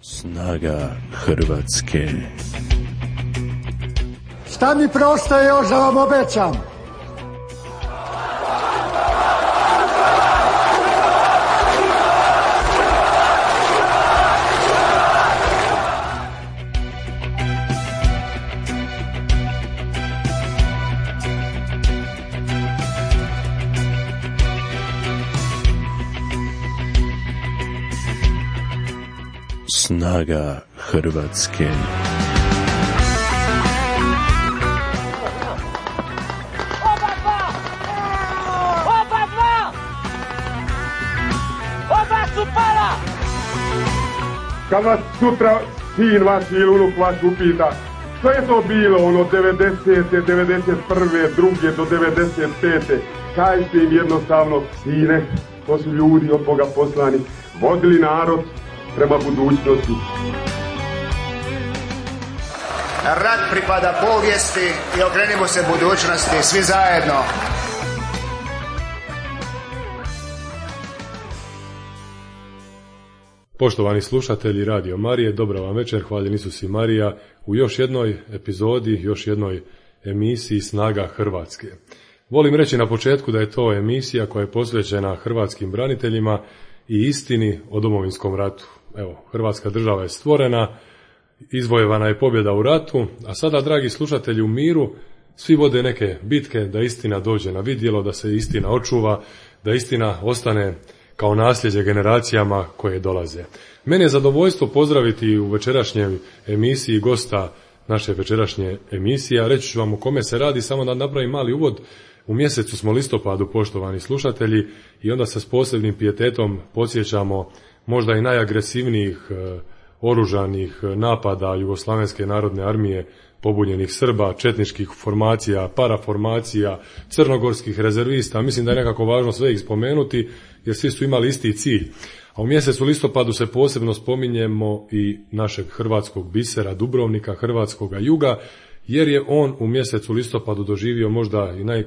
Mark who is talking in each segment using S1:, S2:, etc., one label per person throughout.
S1: Snaga Hrvatske.
S2: Šta mi preostaje još da vam obećam?
S1: Snaga Hrvatske.
S3: Oba su pala!
S4: Kad vas sutra sin vaš ili unuk vaš upita što je to bilo ono 90. 91. druge do 95. Kažite im jednostavno, sine, to su ljudi od Boga poslani, vodili narod prema budućnosti.
S5: Rat pripada povijesti i okrenimo se budućnosti, svi zajedno.
S6: Poštovani slušatelji Radio Marije, dobra vam večer, hvaljen Isus i Marija u još jednoj epizodi, još jednoj emisiji Snaga Hrvatske. Volim reći na početku da je to emisija koja je posvećena hrvatskim braniteljima i istini o Domovinskom ratu. Evo, Hrvatska država je stvorena, izvojevana je pobjeda u ratu, a sada, dragi slušatelji, u miru svi vode neke bitke da istina dođe na vidjelo, da se istina očuva, da istina ostane kao nasljeđe generacijama koje dolaze. Meni je zadovoljstvo pozdraviti u večerašnjoj emisiji gosta naše večerašnje emisije. Reći ću vam o kome se radi, samo da napravim mali uvod. U mjesecu smo listopadu, poštovani slušatelji, i onda se s posebnim pijetetom podsjećamo možda i najagresivnijih oružanih napada Jugoslavenske narodne armije, pobunjenih Srba, četničkih formacija, paraformacija, crnogorskih rezervista. Mislim da je nekako važno sve ih spomenuti, jer svi su imali isti cilj. A u mjesecu listopadu se posebno spominjemo i našeg hrvatskog bisera, Dubrovnika, hrvatskoga juga, jer je on u mjesecu listopadu doživio možda i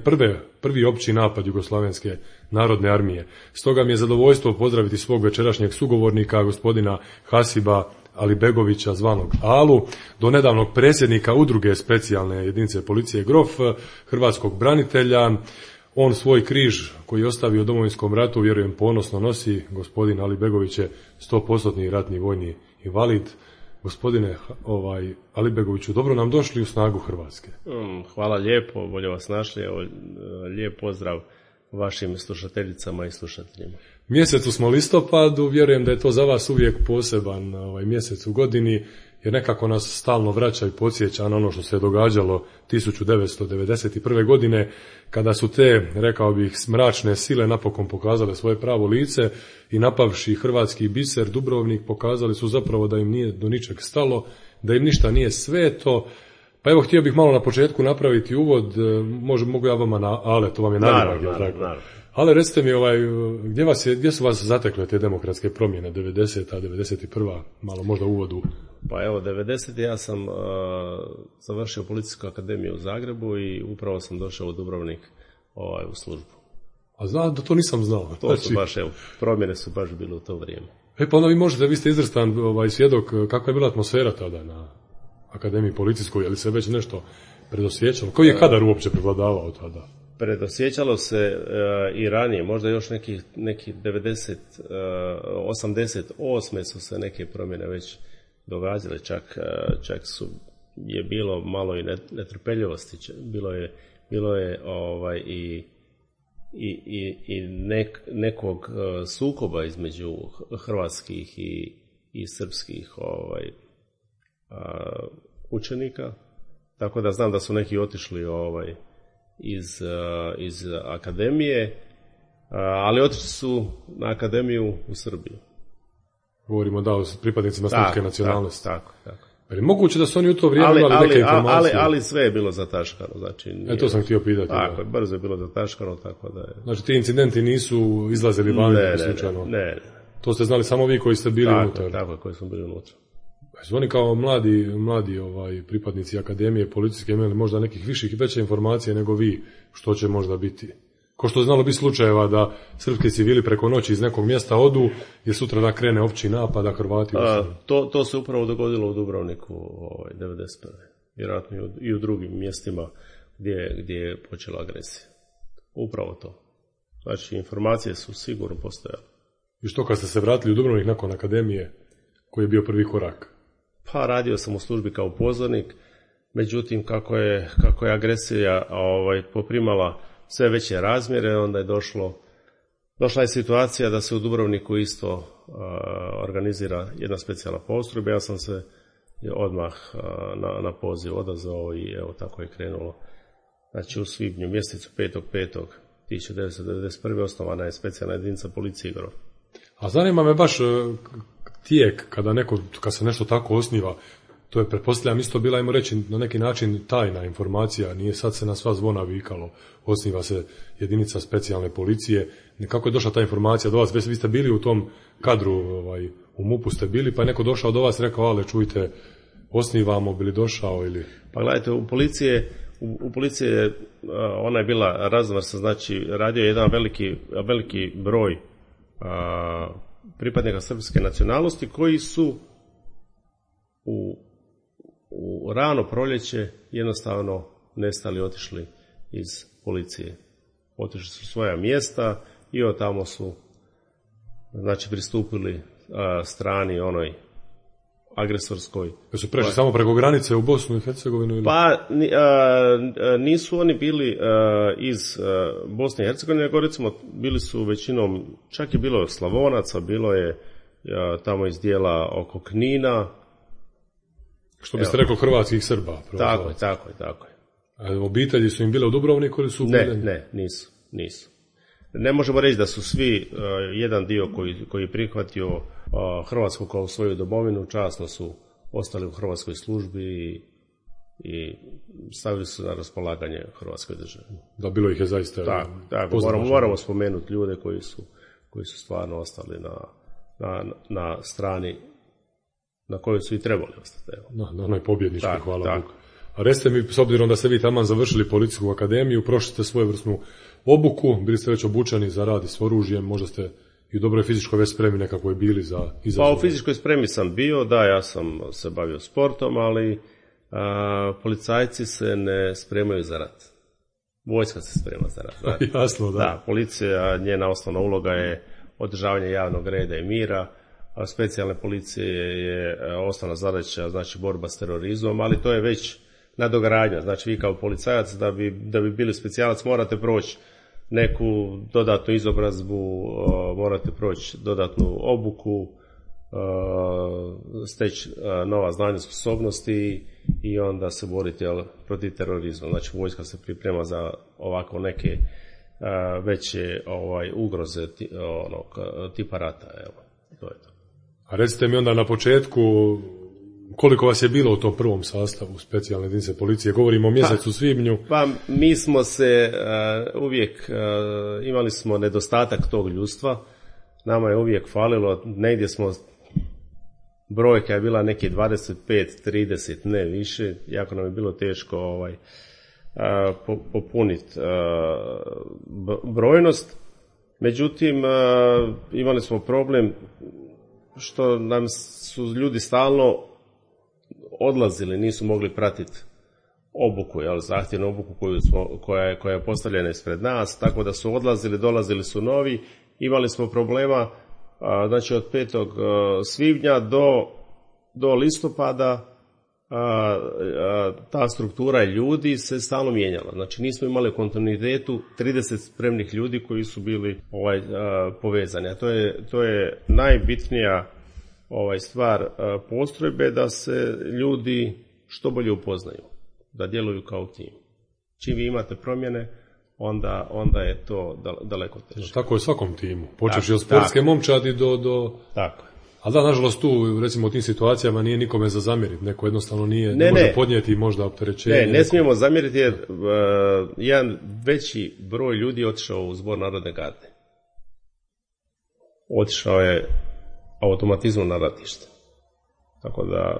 S6: prvi opći napad Jugoslavenske narodne armije. Stoga mi je zadovoljstvo pozdraviti svog večerašnjeg sugovornika, gospodina Hasiba Alibegovića, zvanog Alu, do nedavnog predsjednika udruge specijalne jedinice policije Grof, hrvatskog branitelja. On svoj križ koji je ostavio u Domovinskom ratu, vjerujem, ponosno nosi. Gospodin Alibegović je 100% ratni vojni invalid. Gospodine Alibegoviću, dobro nam došli u Snagu Hrvatske.
S7: Hvala lijepo, bolje vas našli. Lijep pozdrav vašim slušateljicama i slušateljima.
S6: Mjesecu smo listopadu, vjerujem da je to za vas uvijek poseban mjesec u godini, jer nekako nas stalno vraća i podsjeća na ono što se događalo 1991. godine, kada su te, rekao bih, mračne sile napokon pokazale svoje pravo lice i napavši hrvatski biser Dubrovnik pokazali su zapravo da im nije do ničeg stalo, da im ništa nije sveto. Pa evo, htio bih malo na početku napraviti uvod, mogu ja vama na Ale, to vam je naravno. Ale, recite mi, gdje su vas zatekle te demokratske promjene, 90. 91. malo možda uvodu?
S7: Pa evo, 90. ja sam završio Policijsku akademiju u Zagrebu i upravo sam došao u Dubrovnik u službu.
S6: A znam da to nisam znao.
S7: To su baš, evo, promjene su baš bile u to vrijeme.
S6: Pa onda vi ste izvrstan svjedok, kakva je bila atmosfera tada na Akademiji policijskoj, je li se već nešto predosjećalo? Koji je kadar uopće prevladavao tada?
S7: Predosjećalo se i ranije, možda još neki 88. su se neke promjene već događale, čak je bilo malo i netrpeljivosti, bilo je i nekog sukoba između hrvatskih i srpskih učenika, tako da znam da su neki otišli iz akademije, ali otišli su na akademiju u Srbiju.
S6: Govorimo o pripadnicima srpske nacionalnosti.
S7: Tako.
S6: Ali moguće da su oni u to vrijeme imali neke informacije.
S7: Ali sve je bilo zataškano. Znači,
S6: to sam htio pitati.
S7: Tako, brzo je bilo zataškano, tako da je.
S6: Znači, ti incidenti nisu izlazili van slučajno?
S7: Ne.
S6: To ste znali samo vi koji ste bili unutar?
S7: Tako, koji smo bili unutra.
S6: Su oni kao mladi pripadnici akademije policijske imali možda nekih viših i veće informacije nego vi, što će možda biti? Ko što je znalo biti slučajeva da srpski civili preko noći iz nekog mjesta odu, jer sutra da krene opći napad, a Hrvati
S7: to se upravo dogodilo u Dubrovniku 1991. Vjerojatno i u drugim mjestima gdje je počela agresija. Upravo to. Znači, informacije su sigurno postojale.
S6: I što kad ste se vratili u Dubrovnik nakon akademije, koji je bio prvi korak?
S7: Pa radio sam u službi kao pozornik, međutim kako je agresija poprimala sve veće razmjere, onda je došla je situacija da se u Dubrovniku isto organizira jedna specijalna postrojba. Ja sam se odmah na poziv odazvao i evo tako je krenulo. Znači u svibnju mjesecu 5.5.1991. osnovana je specijalna jedinica policije Grof.
S6: A zanima me baš tijek kad se nešto tako osniva. To je, pretpostavljam, isto bila, ajmo reći, na neki način tajna informacija, nije sad se na sva zvona vikalo, osniva se jedinica specijalne policije. Kako je došla ta informacija do vas? Vi ste bili u tom kadru, u MUP-u ste bili, pa je neko došao do vas i rekao, ale čujte, osnivamo, bili došao ili...
S7: Pa gledajte, u policiji ona je bila raznovrsna, znači radio je jedan veliki broj pripadnika srpske nacionalnosti koji su u rano proljeće jednostavno nestali, otišli iz policije. Otišli su svoja mjesta i od tamo su znači pristupili strani onoj agresorskoj.
S6: Su prešli samo preko granice u Bosnu i Hercegovinu? Ili?
S7: Pa nisu oni bili iz Bosne i Hercegovine, nego recimo bili su većinom, čak je bilo Slavonaca, bilo je tamo iz dijela oko Knina.
S6: Što biste rekli hrvatskih Srba?
S7: Tako je.
S6: A obitelji su im bile u Dubrovniku ili su...
S7: Ne, nisu. Ne možemo reći da su svi, jedan dio koji je prihvatio Hrvatsku kao svoju domovinu, časno su ostali u hrvatskoj službi i stavili su na raspolaganje Hrvatskoj državi.
S6: Da, bilo ih je zaista...
S7: Tako, moramo spomenuti ljude koji su stvarno ostali na strani na kojoj su i trebali ostati.
S6: Na onoj pobjedničkoj, hvala Bogu. A recite mi, s obzirom da ste vi taman završili policijsku akademiju, prošli ste svojevrsnu obuku, bili ste već obučeni za rad s oružjem, možda ste i u dobroj fizičkoj već spremi nekakvoj bili za izazov.
S7: Pa u fizičkoj spremi sam bio, ja sam se bavio sportom, ali policajci se ne spremaju za rat. Vojska se sprema za rat.
S6: Jasno, da.
S7: Da, policija, njena osnovna uloga je održavanje javnog reda i mira, a specijalne policije je osnovna zadaća, znači borba s terorizmom, ali to je već nadogradnja. Znači vi kao policajac da bi bili specijalac morate proći neku dodatnu izobrazbu, morate proći dodatnu obuku, steći nova znanja, sposobnosti i onda se boriti protiv terorizma. Znači vojska se priprema za ovako neke veće ugroze tipa rata. Evo, to je to.
S6: A recite mi onda na početku koliko vas je bilo u tom prvom sastavu specijalne jedinice policije? Govorimo o mjesecu svibnju.
S7: Pa mi smo se uvijek, imali smo nedostatak tog ljudstva. Nama je uvijek falilo, negdje smo, brojka je bila neki 25, 30, ne više. Jako nam je bilo teško popuniti brojnost. Međutim, imali smo problem što nam su ljudi stalno odlazili, nisu mogli pratiti obuku, zahtjevnu obuku koja je postavljena ispred nas, tako da su odlazili, dolazili su novi, imali smo problema, znači od 5. svibnja do listopada ta struktura ljudi se stalno mijenjala, znači nismo imali u kontinuitetu 30 spremnih ljudi koji su bili povezani, a to je najbitnija stvar postrojbe, da se ljudi što bolje upoznaju, da djeluju kao tim. Čim vi imate promjene, onda je to daleko teže.
S6: Tako je svakom timu, počeš od sportske momčadi do...
S7: Tako.
S6: Ali da, nažalost tu, recimo u tim situacijama nije nikome za zamjeriti, neko jednostavno ne može podnijeti možda opterećenje.
S7: Ne smijemo zamjeriti jer jedan veći broj ljudi je otišao u Zbor narodne garde. Otišao je automatizmom na ratište. Tako da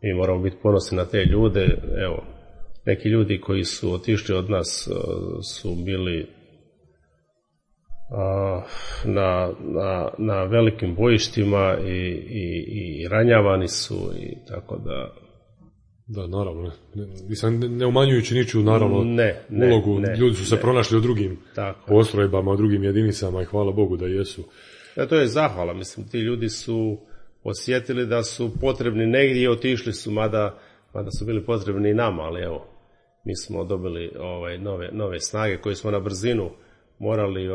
S7: mi moramo biti ponosni na te ljude. Evo, neki ljudi koji su otišli od nas su bili na velikim bojištima i ranjavani su i tako da...
S6: Da, naravno. Ne umanjujući niču, naravno, ulogu. Ljudi su se pronašli u drugim postrojbama, u drugim jedinicama i hvala Bogu da jesu.
S7: To je zahvala. Mislim, ti ljudi su osjetili da su potrebni negdje i otišli su, mada su bili potrebni i nama, ali evo, mi smo dobili nove snage koje smo na brzinu morali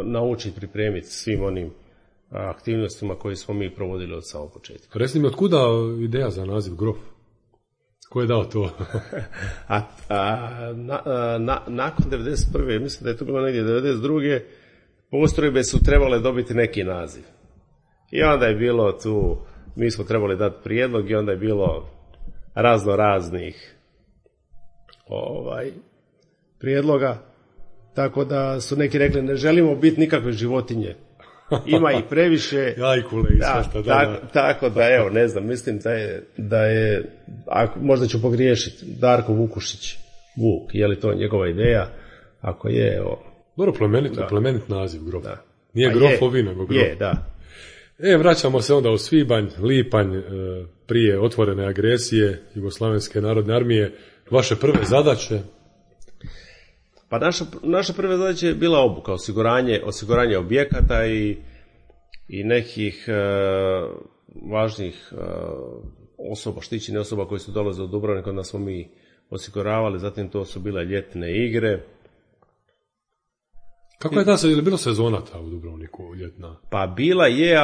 S7: naučiti pripremiti svim onim aktivnostima koje smo mi provodili od samog početka.
S6: Reci mi, otkuda ideja za naziv Grof? Ko je dao to?
S7: Nakon 1991. mislim da je to bilo negdje 1992. postrojbe su trebale dobiti neki naziv. I onda je bilo tu, mi smo trebali dati prijedlog i onda je bilo razno raznih prijedloga. Tako da su neki rekli, ne želimo biti nikakve životinje. Ima i previše.
S6: Jajkule i sve što.
S7: Tako da, evo, ne znam, mislim da je možda ću pogriješiti, Darko Vukušić, Vuk, je li to njegova ideja? Ako je, evo.
S6: Dobro, plemenit naziv, Grof. Da. Nije Grofovi, nego Grof.
S7: Je, da.
S6: Vraćamo se onda u svibanj, lipanj, prije otvorene agresije Jugoslavenske narodne armije. Vaše prve zadaće?
S7: Pa naša prva zadaća je bila obuka, osiguranje objekata i nekih važnih osoba, štićenih osoba koji su dolaze u Dubrovnik, onda smo mi osiguravali, zatim to su bile ljetne igre.
S6: Kako je je li bilo sezona ta u Dubrovniku ljetna?
S7: Pa bila je,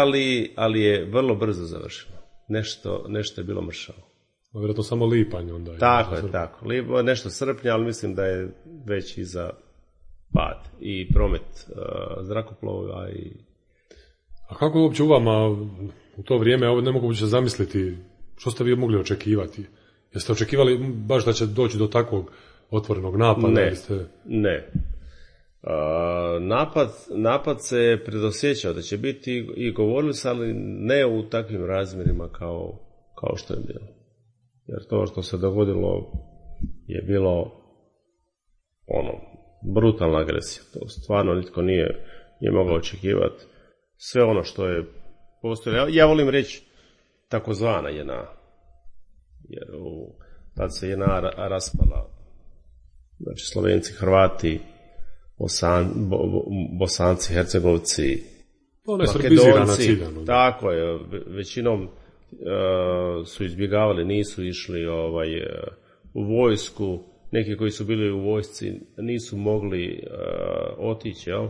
S7: ali je vrlo brzo završila. Nešto je bilo mršavo.
S6: Vjerojatno samo lipanj onda.
S7: Tako je, tako. Nešto srpnja, ali mislim da je već i za pad i promet zrakoplova.
S6: A kako uopće u vama u to vrijeme, ovo ne mogu uopće zamisliti, što ste vi mogli očekivati? Jeste očekivali baš da će doći do takvog otvorenog napada?
S7: Ne. Napad se predosjećao da će biti i govorili se, ali ne u takvim razmjerima kao što je bilo. Jer to što se dogodilo je bilo brutalna agresija. To stvarno nitko nije mogao očekivati. Sve ono što je postojalo. Ja volim reći takozvana JNA. Jer tad se JNA raspala. Znači Slovenci, Hrvati, Bosanci, Hercegovci, Makedonci. Tako je, većinom su izbjegavali, nisu išli u vojsku, neki koji su bili u vojsci nisu mogli otići, jel?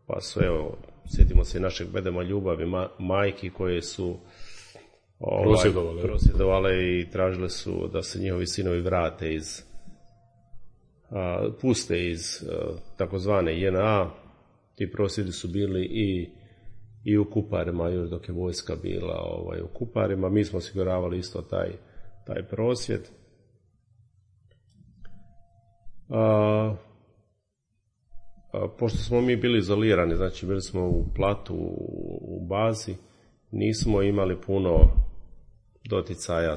S7: Pa su, evo, sjetimo se našeg bedema ljubavi, majki koje su prosvjedovale i tražile su da se njihovi sinovi vrate puste iz takozvane JNA. Ti prosvjedi su bili i u Kuparima, još dok je vojska bila u Kuparima. Mi smo osiguravali isto taj prosvjed. Pošto smo mi bili izolirani, znači bili smo u Platu, u bazi, nismo imali puno doticaja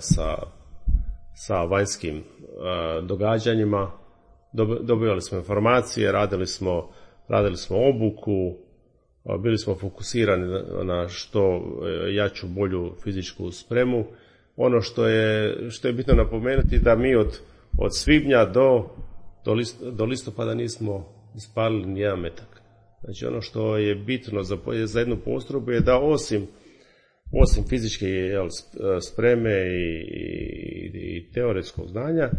S7: sa vanjskim događanjima. Dobivali smo informacije, radili smo obuku, bili smo fokusirani na što jaču, bolju fizičku spremu. Ono što je bitno napomenuti da mi od svibnja do listopada nismo ispalili ni jedan metak. Znači ono što je bitno za jednu postrojbu je da osim fizičke spreme i teoretskog znanja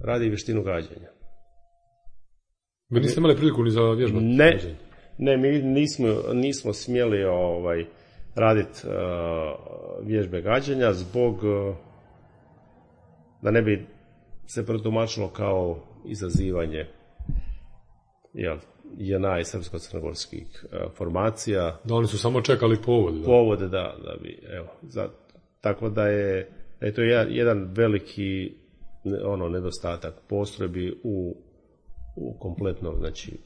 S7: radi vještinu gađanja.
S6: Vi niste imali priliku ni za vježbati?
S7: Ne, mi nismo smjeli raditi vježbe gađanja zbog da ne bi se protumačilo kao izazivanje JNA i srpsko-crnogorskih formacija.
S6: Da, oni su samo čekali povode.
S7: Povode, da bi, evo. Tako da je to jedan veliki nedostatak postrojbi u kompletnom, znači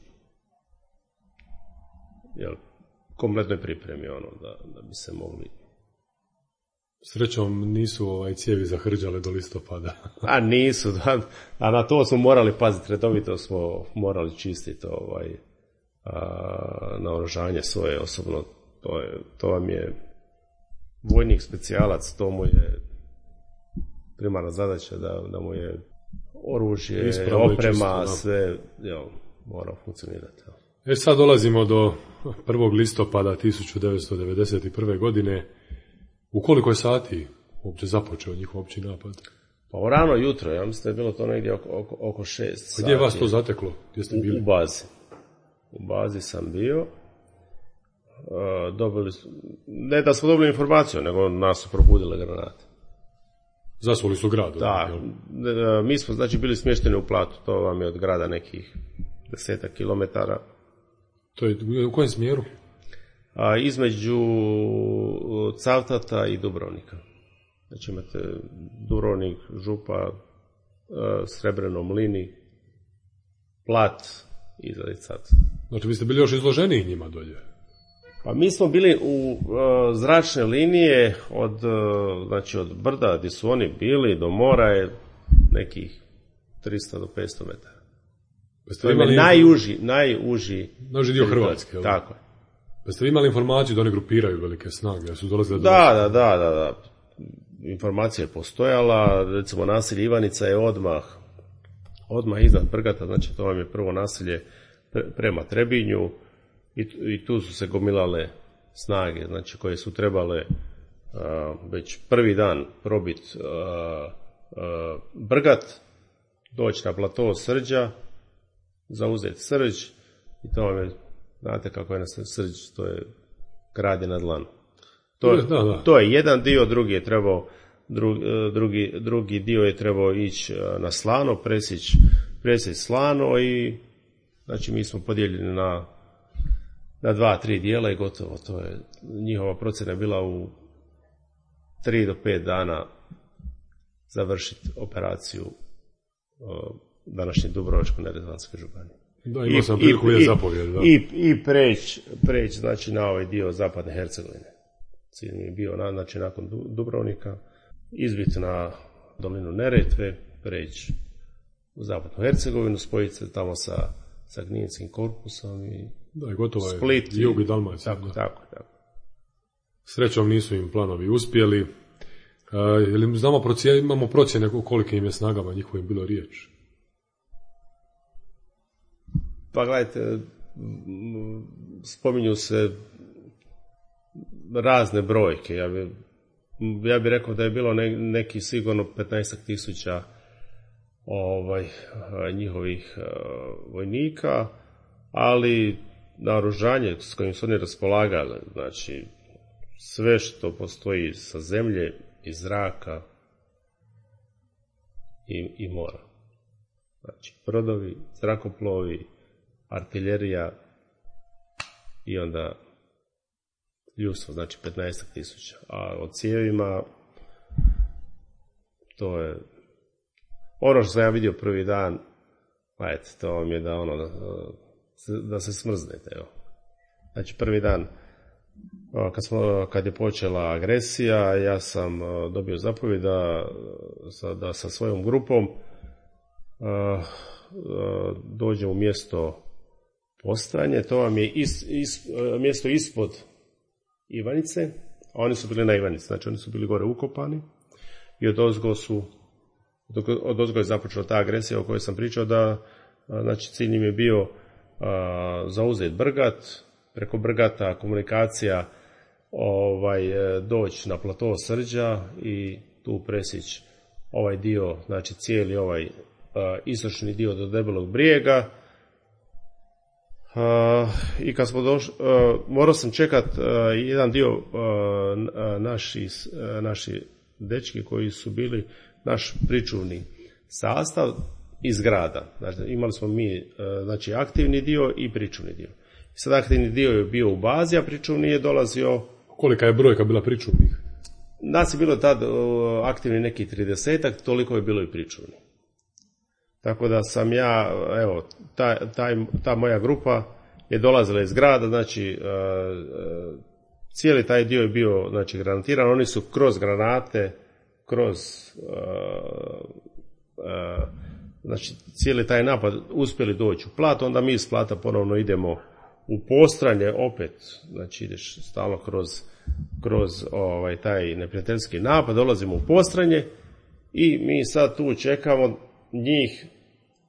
S7: kompletnoj pripremi da bi se mogli.
S6: Srećom nisu cijevi zahrđale do listopada.
S7: A nisu, a na to smo morali paziti, redovito smo morali čistiti naoružanje svoje osobno. To vam je vojnik specijalac, to mu je primarna zadaća da mu je oružje, oprema, sve mora funkcionirati.
S6: Sad dolazimo do 1. listopada 1991. godine. U koliko je sati uopće započeo njihov opći napad?
S7: Pa u rano jutro, ja mislim da je bilo to negdje oko 6 sati.
S6: A gdje je vas to zateklo? Gdje ste bili?
S7: U bazi. U bazi sam bio. Ne da smo dobili informaciju, nego nas su probudile granate.
S6: Zasuli su grad?
S7: Da, mi smo znači bili smješteni u Platu, to vam je od grada nekih 10 kilometara.
S6: To je u kojem smjeru?
S7: Između Cavtata i Dubrovnika. Znači imate Dubrovnik, Župa, Srebreno, Mlini, Plat i Zalicat.
S6: Znači vi ste bili još izloženiji njima dolje?
S7: Pa mi smo bili u zračne linije od brda gdje su oni bili do mora je nekih 300 do 500 metara. To je najuži
S6: dio Hrvatske.
S7: Tako je.
S6: Pa ste vi imali informaciju da oni grupiraju velike snage? Da su dolazile
S7: Da. Informacija je postojala, recimo naselje Ivanica je odmah iznad Brgata, znači to vam je prvo naselje prema Trebinju i tu su se gomilale snage, znači koje su trebale već prvi dan probiti Brgat, doći na plato Srđa, zauzeti Srđ i to vam je, znate kako je na Srđ, to je grad je na dlanu. To je jedan dio, drugi je trebao drugi dio je trebao ići na Slano, presjeći Slano i znači mi smo podijeljeni na 2-3 dijela i gotovo. To je njihova procjena bila u 3 do 5 dana završiti operaciju današnje Dubrovačko-neretvanske županije.
S6: Da, imao sam priliku vidjeti zapovjed.
S7: I preći znači na ovaj dio zapadne Hercegovine. Cilj mi je bio znači nakon Dubrovnika izbiti na dolinu Neretve, preći u zapadnu Hercegovinu, spojiti se tamo sa Gninskim korpusom i
S6: gotovo je
S7: Split,
S6: jug i Dalmacija.
S7: Tako.
S6: Srećom nisu im planovi uspjeli. Imamo procjene koliko im je snagama njihovim bilo riječ?
S7: Pa gledajte, spominju se razne brojke. Ja bih rekao da je bilo neki sigurno 15,000 njihovih vojnika, ali naoružanje s kojim su oni raspolagali, znači sve što postoji sa zemlje, iz zraka i mora. Znači brodovi, zrakoplovi, artiljerija i onda ljudstvo, znači 15,000. A o cijevima to je ono što sam ja vidio prvi dan, to vam je da se smrznete. Evo. Znači prvi dan kad je počela agresija, ja sam dobio zapovjed da sa svojom grupom dođem u mjesto postajanje. To vam je mjesto ispod Ivanice, a oni su bili na Ivanici, znači oni su bili gore ukopani i odozgo je započela ta agresija o kojoj sam pričao, da znači cilj im je bio zauzeti Brgat, preko Brgata komunikacija doći na plato Srđa i tu presjeći ovaj dio, znači cijeli ovaj istočni dio do Debelog brijega. I kad smo došli, morao sam čekat jedan dio naši dečki koji su bili naš pričuvni sastav iz grada. Znači, imali smo mi znači, aktivni dio i pričuvni dio. Sad aktivni dio je bio u bazi, a pričuvni je dolazio...
S6: Kolika je brojka bila pričuvnih?
S7: Nas je bilo tad aktivni neki 30-ak, toliko je bilo i pričuvni. Tako da sam ja, evo, ta moja grupa je dolazila iz grada, znači cijeli taj dio je bio znači, granatiran, oni su kroz granate, znači cijeli taj napad uspjeli doći u Plat, onda mi iz Plata ponovno idemo u Postranje opet, znači ideš stalno kroz taj neprijateljski napad, dolazimo u Postranje i mi sad tu čekamo njih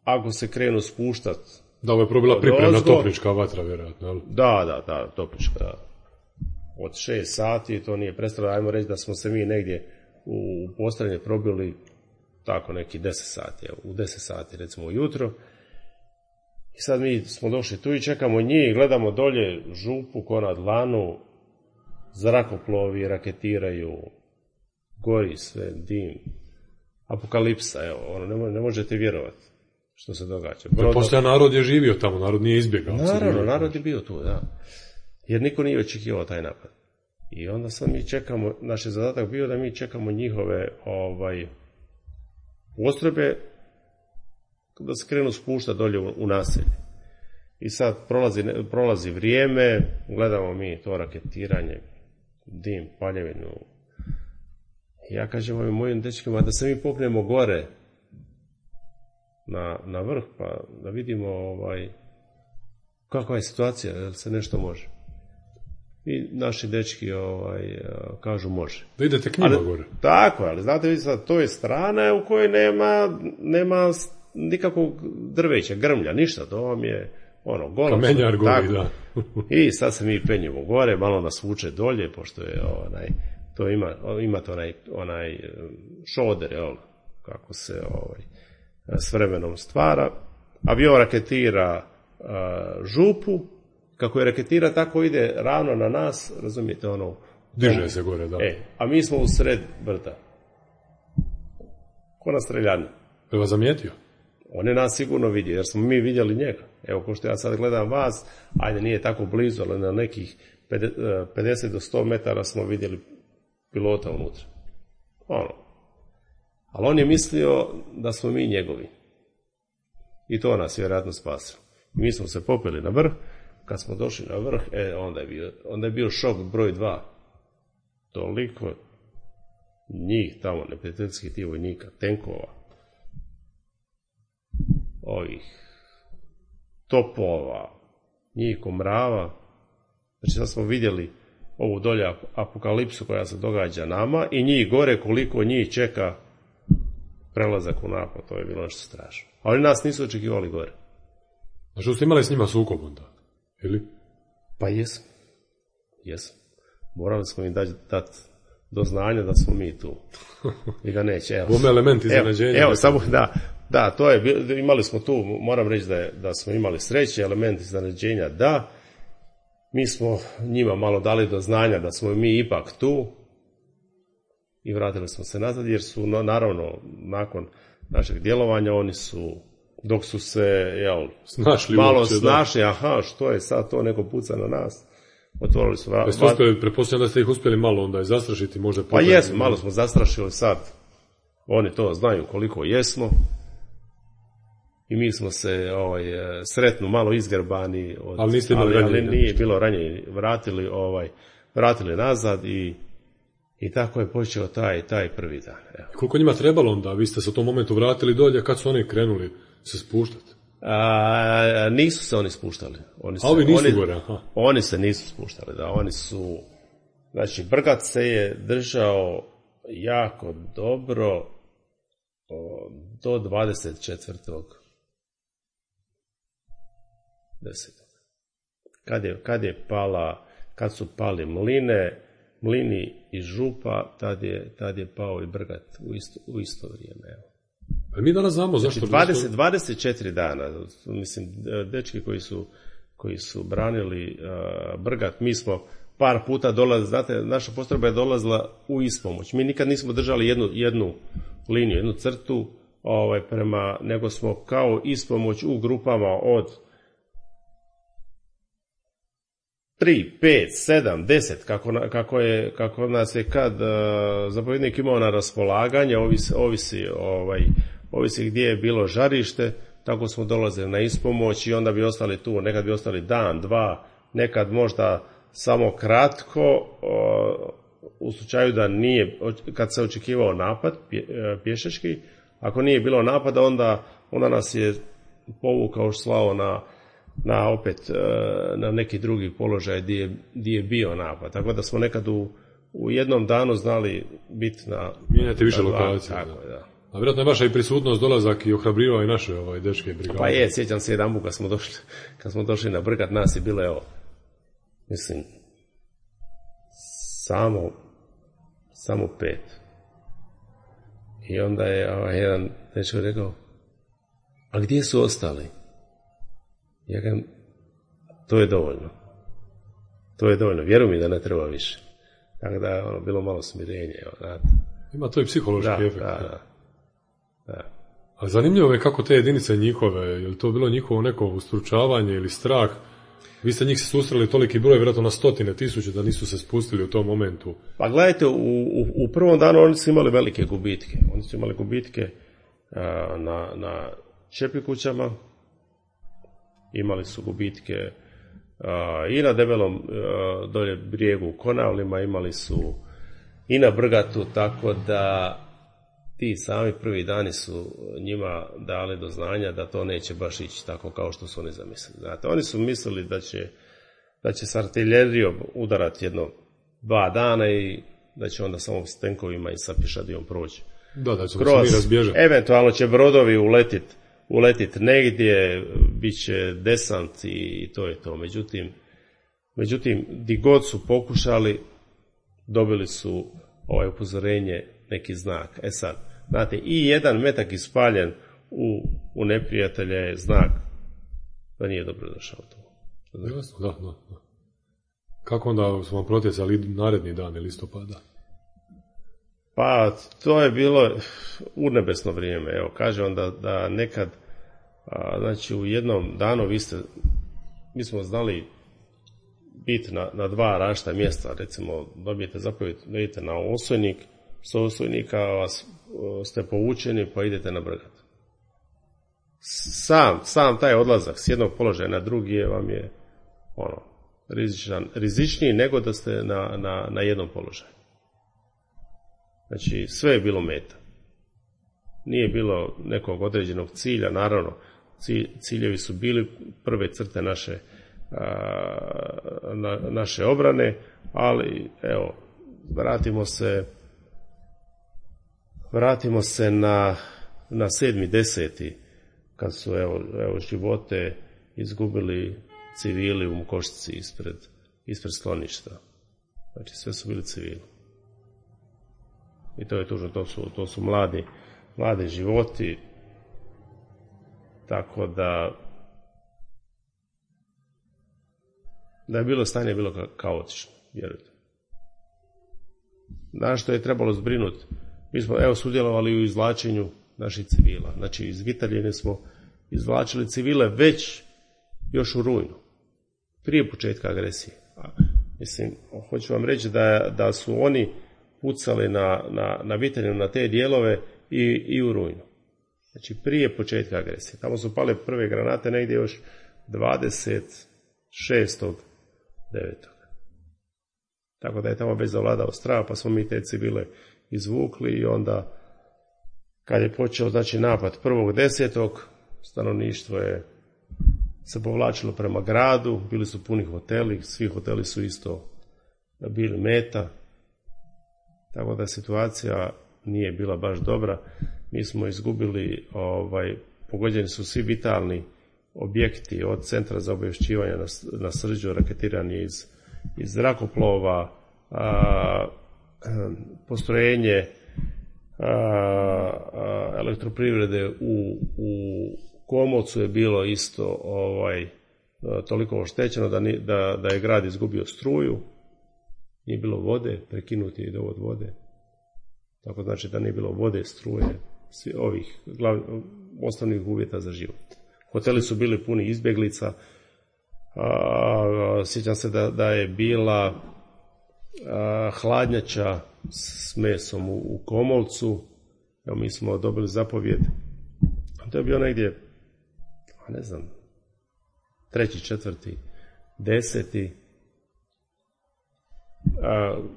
S7: ako se krenu spuštati.
S6: Da, ovo je probila pripremna topnička vatra, vjerojatno.
S7: Da, topnička. Od 6 sati, to nije prestalo, ajmo reći da smo se mi negdje u Postranje probili tako neki 10 sati, u 10 sati recimo ujutro. I sad mi smo došli tu i čekamo njih, gledamo dolje župu ko na dlanu, zrakoplovi raketiraju, gori sve, dim, apokalipsa, evo, ono, ne možete vjerovati što se događa.
S6: Poslije narod je živio tamo, narod nije izbjegao.
S7: Naravno, narod je bio tu, da. Jer niko nije očekivao taj napad. I onda sad mi čekamo, naš je zadatak bio da mi čekamo njihove postrojbe da se krenu spuštati dolje u naselje. I sad prolazi vrijeme, gledamo mi to raketiranje, dim, paljevinu. Ja kažem ovim mojim dečkima da se mi popnemo gore na vrh pa da vidimo kakva je situacija, da se nešto može. I naši dečki kažu može.
S6: Da idete k njima gore.
S7: Tako, ali znate vi sad, to je strana u kojoj nema nikakvog drveća, grmlja, ništa, to vam je golo.
S6: Kamenjar gori, da.
S7: I sad se mi penjemo gore, malo nas vuče dolje, pošto je to imate onaj šoder, kako se s vremenom stvara. Avion raketira župu, kako je raketira, tako ide ravno na nas, razumijete,
S6: diže se gore, da.
S7: A mi smo u sred brda. Ko na streljani.
S6: Je vas zamijetio?
S7: On je nas sigurno vidio, jer smo mi vidjeli njega. Evo, ko što ja sad gledam vas, ajde, nije tako blizu, ali na nekih 50 do 100 metara smo vidjeli pilota unutra. Ali on je mislio da smo mi njegovi. I to nas vjerojatno spasilo. Mi smo se popeli na vrh. Kad smo došli na vrh, onda je bio šok broj 2. Toliko njih tamo, neprijateljskih tih vojnika, tenkova, ovih topova, njih komrava. Znači sad smo vidjeli ovu dolje apokalipsu koja se događa nama i njih gore koliko njih čeka prelazak u napad. To je bilo nešto strašno. Ali nas nisu očekivali gore.
S6: Znači ste imali s njima sukob onda? Ili?
S7: Pa jesam. Morali smo im dati do znanja da smo mi tu. I da neće.
S6: Bome element iznenađenja.
S7: Evo, samo da, to je, imali smo tu, moram reći da smo imali sreće, element iznenađenja, da. Mi smo njima malo dali do znanja da smo mi ipak tu i vratili smo se nazad, jer su, naravno, nakon našeg djelovanja, oni su, dok su se, malo snašli, što je sad to, neko puca na nas, otvorili su vrata.
S6: Pretpostavljam da ste ih uspjeli malo onda zastrašiti, možda...
S7: Pa jesmo, malo smo zastrašili sad. Oni to znaju koliko jesmo. I mi smo se sretno malo izgrbani,
S6: ali
S7: nije bilo ranjenje, vratili nazad i tako je počeo taj prvi dan. Evo.
S6: Koliko njima trebalo onda? Vi ste se u tom momentu vratili dolje, kad su oni krenuli se spuštati?
S7: Nisu se oni spuštali. Oni se nisu spuštali, da, oni su, znači Brgat se je držao jako dobro do 24. 10. Kad su pali mlini i župa, tad je pao i Brgat u isto vrijeme. Evo.
S6: Mi danas znamo zašto...
S7: 24 dana, mislim, dečki koji su branili Brgat, mi smo par puta dolazili, znate, naša postrojba je dolazila u ispomoć. Mi nikad nismo držali jednu liniju, jednu crtu, nego smo kao ispomoć u grupama od 3, 5, 7, 10, kako nas je kad zapovjednik imao na raspolaganje, ovisi gdje je bilo žarište, tako smo dolazili na ispomoć i onda bi ostali tu, nekad bi ostali dan, dva, nekad možda samo kratko, u slučaju da nije, kad se očekivao napad pješački, ako nije bilo napada, onda nas je povukao slao na neki drugi položaj gdje je bio napad. Tako da smo nekad u jednom danu znali biti na...
S6: Mijenjate više lokacija.
S7: Tako, da.
S6: A vjerojatno je vaša i prisutnost, dolazak i ohrabrivao i naše dečke brigade.
S7: Pa sjećam se jedan put kad smo došli na Brgat, nas je bilo, evo, mislim, samo 5. I onda je jedan dečko rekao, a gdje su ostali? Ja kažem, to je dovoljno, vjeruj mi da ne treba više. Tako da je bilo malo smirenje. Znate.
S6: Ima to i psihološki efekt.
S7: Da.
S6: A zanimljivo je kako te jedinice njihove, je li to bilo njihovo neko ustručavanje ili strah? Vi ste njih se susreli toliki broj, vjerojatno na 100.000 da nisu se spustili u tom momentu.
S7: Pa gledajte, u prvom danu oni su imali velike gubitke. Oni su imali gubitke na Čepikućama, imali su gubitke i na debelom dolje brijegu u Konavlima, imali su i na Brgatu, tako da ti sami prvi dani su njima dali do znanja da to neće baš ići tako kao što su oni zamislili. Znate, oni su mislili da će s artiljerijom udarati 2 dana i da će onda samo s tenkovima i sa pješadijom proći.
S6: Da će se mi razbježati.
S7: Eventualno će brodovi uletit negdje, bit će desant i to je to. Međutim, di god su pokušali, dobili su upozorenje, neki znak. Sad, znate, i jedan metak ispaljen u neprijatelja je znak da nije dobro došao to.
S6: Jasno, da. Kako onda smo vam protjecali naredni dan listopada?
S7: Pa, to je bilo urnebesno vrijeme. Evo, kaže onda da nekad, znači u jednom danu mi smo znali biti na 2 različita mjesta. Recimo, dobijete zapovjed da idete na Osojnik, s Osojnika ste povučeni pa idete na Brgat. Sam taj odlazak s jednog položaja na drugi vam je rizičniji nego da ste na jednom položaju. Znači, sve je bilo meta. Nije bilo nekog određenog cilja, naravno, ciljevi su bili prve crte naše obrane, ali evo, vratimo se na 7.10. kad su živote izgubili civili u Mukošci ispred skloništa. Znači, sve su bili civili. I to je tužno, to su mladi životi, tako da je bilo stanje bilo kaotično, vjerujte. Na što je trebalo zbrinuti? Mi smo sudjelovali u izvlačenju naših civila. Znači, iz Vitaljine smo izvlačili civile već još u rujnu, prije početka agresije. Mislim, hoću vam reći da su oni pucali na Vitaljinu, na te dijelove i u rujnu. Znači, prije početka agresije. Tamo su pale prve granate negdje još 26.9. Tako da je tamo već zavladao strah, pa smo mi te civile izvukli i onda kad je počeo napad 1.10. stanovništvo je se povlačilo prema gradu, bili su puni hoteli, svi hoteli su isto bili meta, tako da situacija nije bila baš dobra. Mi smo izgubili, pogođeni su svi vitalni objekti od centra za obavješćivanje na Srđu, raketiranje iz zrakoplova, postrojenje elektroprivrede u Komolcu je bilo isto toliko oštećeno da je grad izgubio struju, nije bilo vode, prekinuti je dovod vode, tako znači da nije bilo vode, struje, ovih osnovnih uvjeta za život. Hoteli su bili puni izbjeglica, sjećam se da je bila hladnjača s mesom u Komolcu. Evo, mi smo dobili zapovjed, to je bio negdje, ne znam, 3., 4., 10.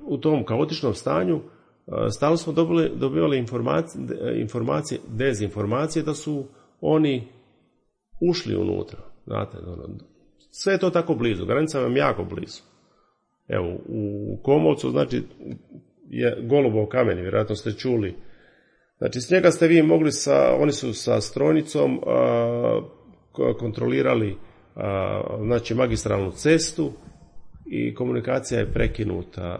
S7: U tom kaotičnom stanju stalno smo dobivali informacije, dezinformacije da su oni ušli unutra. Znate, sve je to tako blizu, granica vam je jako blizu. Evo, u Komovcu, znači, je Golubov kamen, vjerojatno ste čuli. Znači, s njega ste vi mogli oni su sa strojnicom kontrolirali znači, magistralnu cestu i komunikacija je prekinuta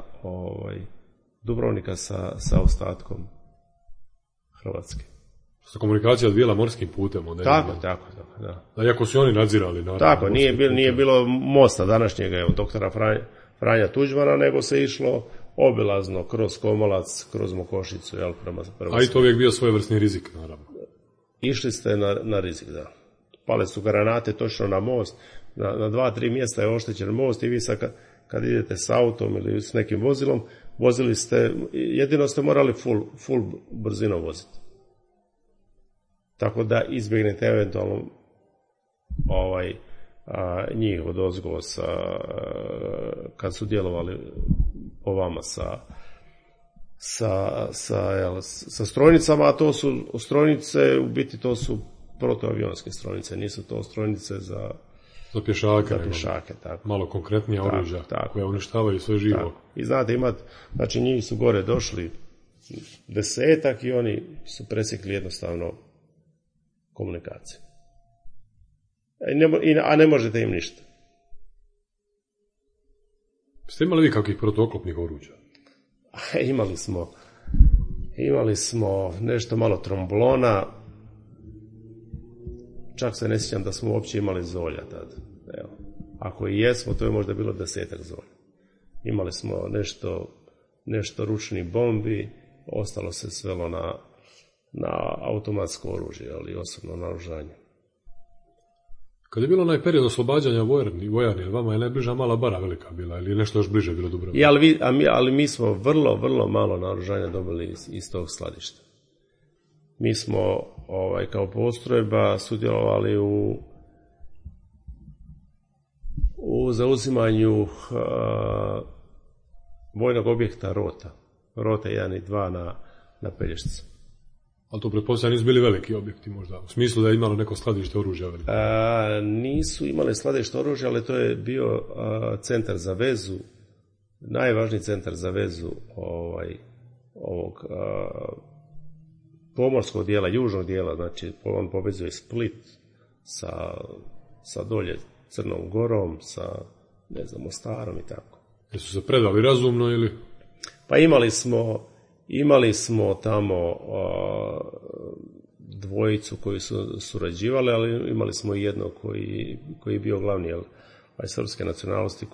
S7: Dubrovnika sa ostatkom Hrvatske.
S6: Sa komunikacija odvijela morskim putem.
S7: Tako, da.
S6: Iako su oni nadzirali. Naravno,
S7: tako, nije bilo mosta današnjega, doktora Franja Tuđmana, nego se išlo obilazno kroz Komolac, kroz Mokošicu, prema
S6: A i to uvijek bio svojevrsni rizik, naravno.
S7: Išli ste na rizik, da. Pale su granate točno na most, na 2-3 mjesta je oštećen most i vi sad kad idete s autom ili s nekim vozilom, vozili ste, jedino ste morali full brzinom voziti. Tako da izbjegnete eventualno njih od ozgo kad su djelovali po vama sa strojnicama, a to su strojnice, u biti to su protuavionske strojnice, nisu to strojnice za pješake, tako.
S6: Malo konkretnija oruđa koja uništavaju sve živo.
S7: Tako. I znate, znači njih su gore došli 10 i oni su presjekli jednostavno komunikaciju. A ne možete im ništa.
S6: Ste imali vi kakvih protuoklopnih oruđa?
S7: Imali smo nešto malo tromblona, čak se ne sjećam da smo uopće imali zolja tad. Evo. Ako i jesmo, to je možda bilo 10 zolja. Imali smo nešto ručnih bombi, ostalo se svelo na automatsko oružje, ali osobno naoružanje.
S6: Kad je bilo onaj period oslobađanja vojarni, vama je najbliža Mala Bara velika bila, ili nešto još bliže bilo Dubrovnika?
S7: Ali mi smo vrlo, vrlo malo naoružanja dobili iz tog skladišta. Mi smo kao postrojba sudjelovali u zauzimanju vojnog objekta Rote 1 i 2 na Pelješcu.
S6: Ali to pretpostavljam nisu bili veliki objekti možda, u smislu da je imalo neko skladište oružja veliko?
S7: Nisu imali skladište oružja, ali to je bio centar za vezu, najvažniji centar za vezu ovog pomorskog dijela, južnog dijela, znači on povezuje Split sa dolje Crnom Gorom, sa Mostarom i tako.
S6: Jesu se predali razumno ili?
S7: Pa imali smo tamo dvojicu koji su surađivali, ali imali smo i jednog koji je bio glavni srpske nacionalnosti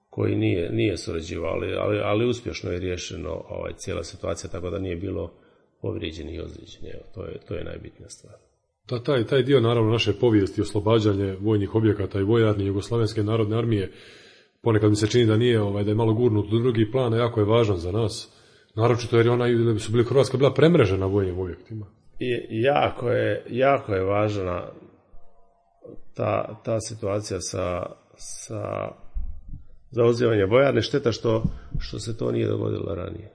S7: koji nije surađivao, ali uspješno je riješeno cijela situacija, tako da nije bilo povrijeđeni i ozlijeđeni. To je najbitnija stvar.
S6: Taj dio naravno naše povijesti, oslobađanje vojnih objekata i vojarni Jugoslavenske narodne armije, ponekad mi se čini da nije, da je malo gurnut do drugi plan, a jako je važan za nas. Naročito jer Hrvatska bila premrežena vojnim objektima.
S7: I jako je važna ta situacija sa zauzimanjem vojarne. Šteta što se to nije dogodilo ranije.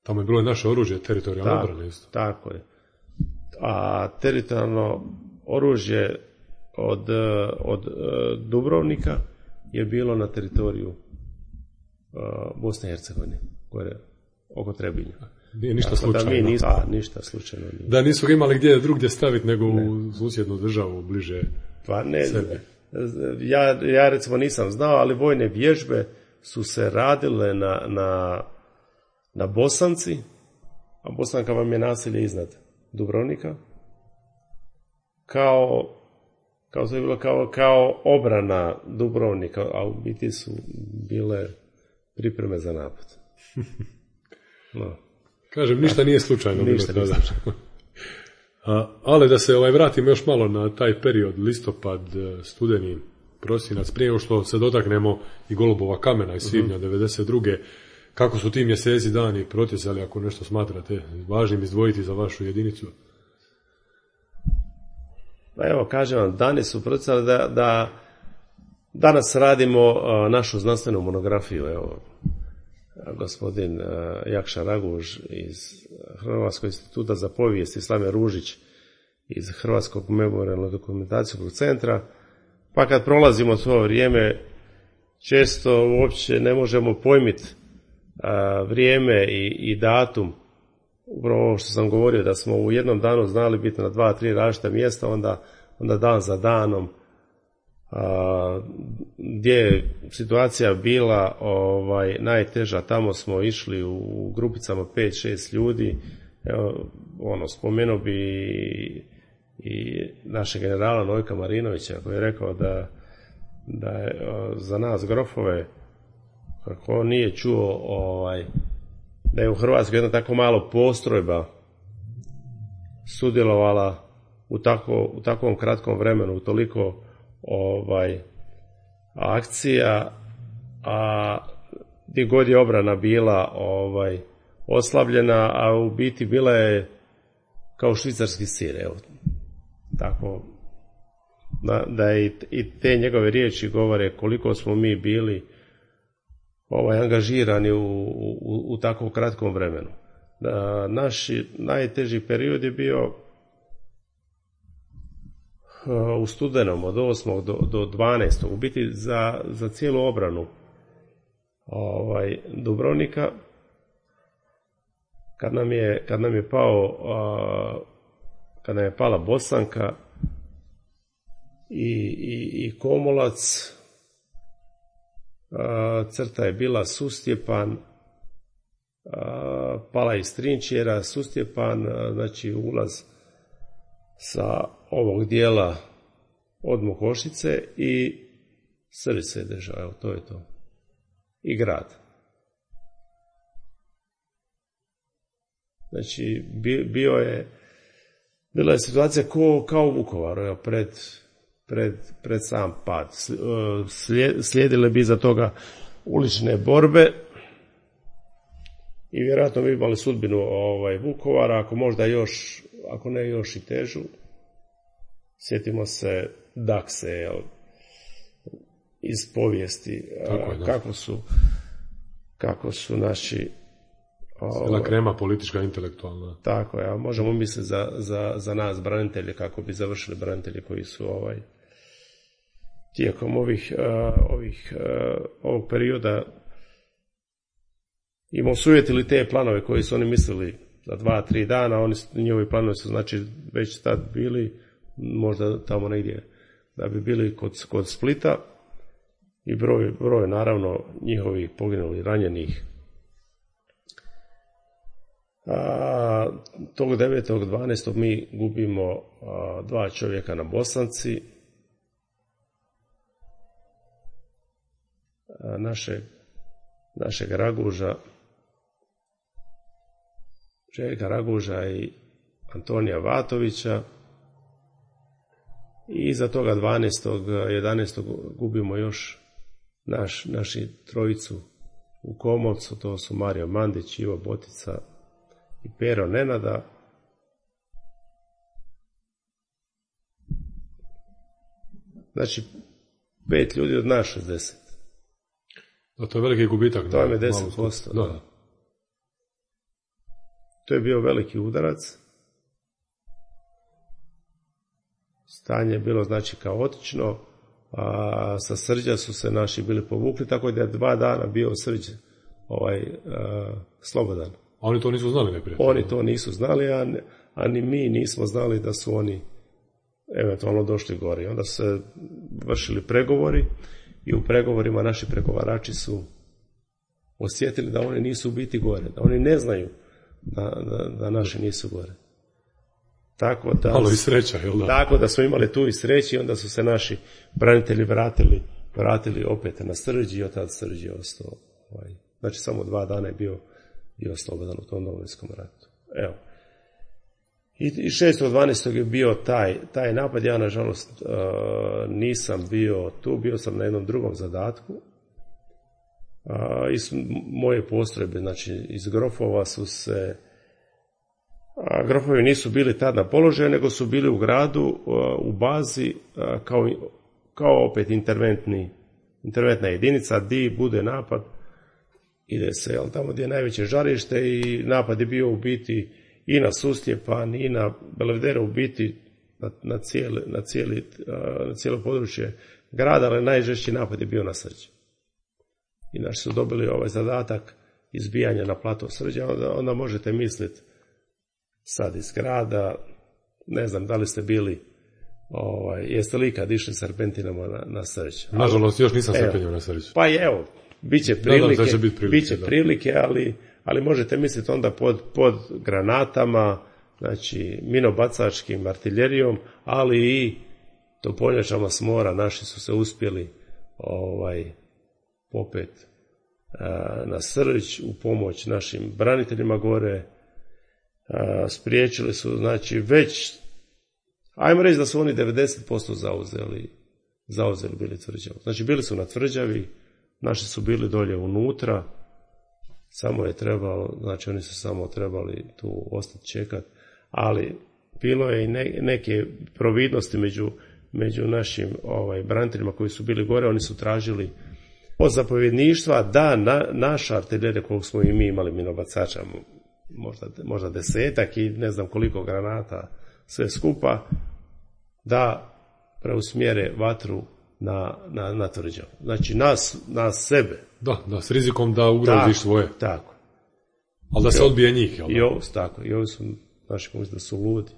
S6: Tamo je bilo i naše oružje, teritorijalno obrane isto.
S7: Tako je. A teritorijalno oružje od Dubrovnika je bilo na teritoriju Bosne i Hercegovine, koje je oko Trebinja.
S6: Nije ništa slučajno.
S7: Ništa slučajno nije.
S6: Da nisu ga imali gdje drugdje staviti nego u susjednu državu bliže sebe.
S7: Ja recimo nisam znao, ali vojne vježbe su se radile na Bosanci, a Bosanka vam je naselje iznad Dubrovnika, kao obrana Dubrovnika, a u biti su bile pripreme za napad. No.
S6: Kažem, ništa nije slučajno. Ali da se vratimo još malo na taj period, listopad, studeni, prosinac, prije nego što se dotaknemo i Golubova kamena iz svibnja 92. Kako su ti mjeseci dani protjecali, ako nešto smatrate važnim izdvojiti za vašu jedinicu?
S7: Pa evo, kažem vam, dani su protjecali da danas radimo našu znanstvenu monografiju. Evo, gospodin Jakša Raguž iz Hrvatskog instituta za povijest i Slaven Ružić iz Hrvatskog memorijalno-dokumentacijskog centra, pa kad prolazimo to vrijeme, često uopće ne možemo pojmiti vrijeme i datum. Upravo ovo što sam govorio, da smo u jednom danu znali biti na 2-3 različita mjesta, onda dan za danom, gdje je situacija bila najteža, tamo smo išli u grupicama 5-6 ljudi. Evo, spomenuo bi i našeg generala Nojka Marinovića, koji je rekao da je za nas grofove, kako on nije čuo da je u Hrvatskoj jedna tako malo postrojba sudjelovala u takvom kratkom vremenu, u toliko akcija, a gdje god je obrana bila oslabljena, a u biti bila je kao švicarski sir, evo. Tako da i te njegove riječi govore koliko smo mi bili angažirani u tako kratkom vremenu. Naš najteži period je bio u studenom od 8. do 12. u biti za cijelu obranu Dubrovnika, kad nam je pala Bosanka i Komolac, crta je bila Sustjepan, pala iz Trinčjera, Sustjepan, znači ulaz sa ovog dijela od Mokošice i Srbi se je držao, evo to je to. I grad. Znači, bila je situacija kao u Vukovaru, evo, pred sam pad. Slijedile bi za toga ulične borbe i vjerojatno bi imali sudbinu Vukovara, ako ne još i težu. Sjetimo se Dakse iz povijesti, kako su naši
S6: cijela krema politička, intelektualna.
S7: Tako je, možemo misliti za nas branitelje, kako bi završili branitelji koji su tijekom ovog perioda im osujetili te planove koji su oni mislili za 2-3 dana, njihovi planovi su znači već tad bili, možda tamo negdje da bi bili kod Splita, i broj naravno njihovih poginulih, ranjenih. Tog 9.12. mi gubimo 2 čovjeka na Bosanci, našeg Raguža, Željka Raguža i Antonija Vatovića, i iza toga 12.11. gubimo još naši trojicu u Komovcu, to su Mario Mandić, Ivo Botica i Pero Nenada. Znači 5 ljudi od nas 60.
S6: Da, to je veliki gubitak.
S7: To je 10%. Da. To je bio veliki udarac. Stanje je bilo znači kaotično, a sa Srđa su se naši bili povukli, tako da je 2 dana bio Srđ slobodan.
S6: A oni to nisu znali neprijatelji?
S7: Oni to nisu znali, a ni mi nismo znali da su oni eventualno došli gore. Onda su se vršili pregovori i u pregovorima naši pregovarači su osjetili da oni nisu u biti gore, da oni ne znaju da naši nisu gore.
S6: Malo i sreća, jel da?
S7: Tako da smo imali tu i sreći, i onda su se naši branitelji vratili opet na Srđ, i od tada Srđ je ostao. Znači samo 2 dana je bio slobodan u tom Domovinskom ratu. Evo. I 6.12. je bio taj napad. Ja nažalost nisam bio tu, bio sam na jednom drugom zadatku. Iz moje postrojbe, znači iz Grofova su se, Grofovi nisu bili tad na položaju, nego su bili u gradu, u bazi, kao opet interventna jedinica, di bude napad, ide se tamo gdje je najveće žarište, i napad je bio u biti i na Sustjepan i na Belvedere, u biti na cijelo područje grada, ali najžešći napad je bio na Srđ. I naši su dobili ovaj zadatak izbijanja na plato Srđa, onda možete misliti sad iz grada, ne znam da li ste bili, jeste li ikad išli serpentinama na Srđ?
S6: Nažalost, još nisam serpenio na Srđ.
S7: Pa evo, bit će prilike, ali možete misliti onda pod granatama, znači minobacačkim artiljerijom, ali i topovnjačama s mora. Naši su se uspjeli popet na Srđ u pomoć našim braniteljima gore. Spriječili su, znači već, ajmo reći da su oni 90% zauzeli bili tvrđavu. Znači bili su na tvrđavi, naši su bili dolje unutra, samo je trebalo, znači oni su samo trebali tu ostati čekati, ali bilo je i neke providnosti među našim braniteljima koji su bili gore. Oni su tražili od zapovjedništva da naša artiljerija, koliko smo i mi imali minobacača, možda 10 i ne znam koliko granata sve skupa, da preusmjere vatru na tvrđavu. Znači nas sebe.
S6: Da, s rizikom da ugroziš svoje.
S7: Tako.
S6: Ali da se odbije njih, jel?
S7: I ovi su, naši pomisli da su ludi.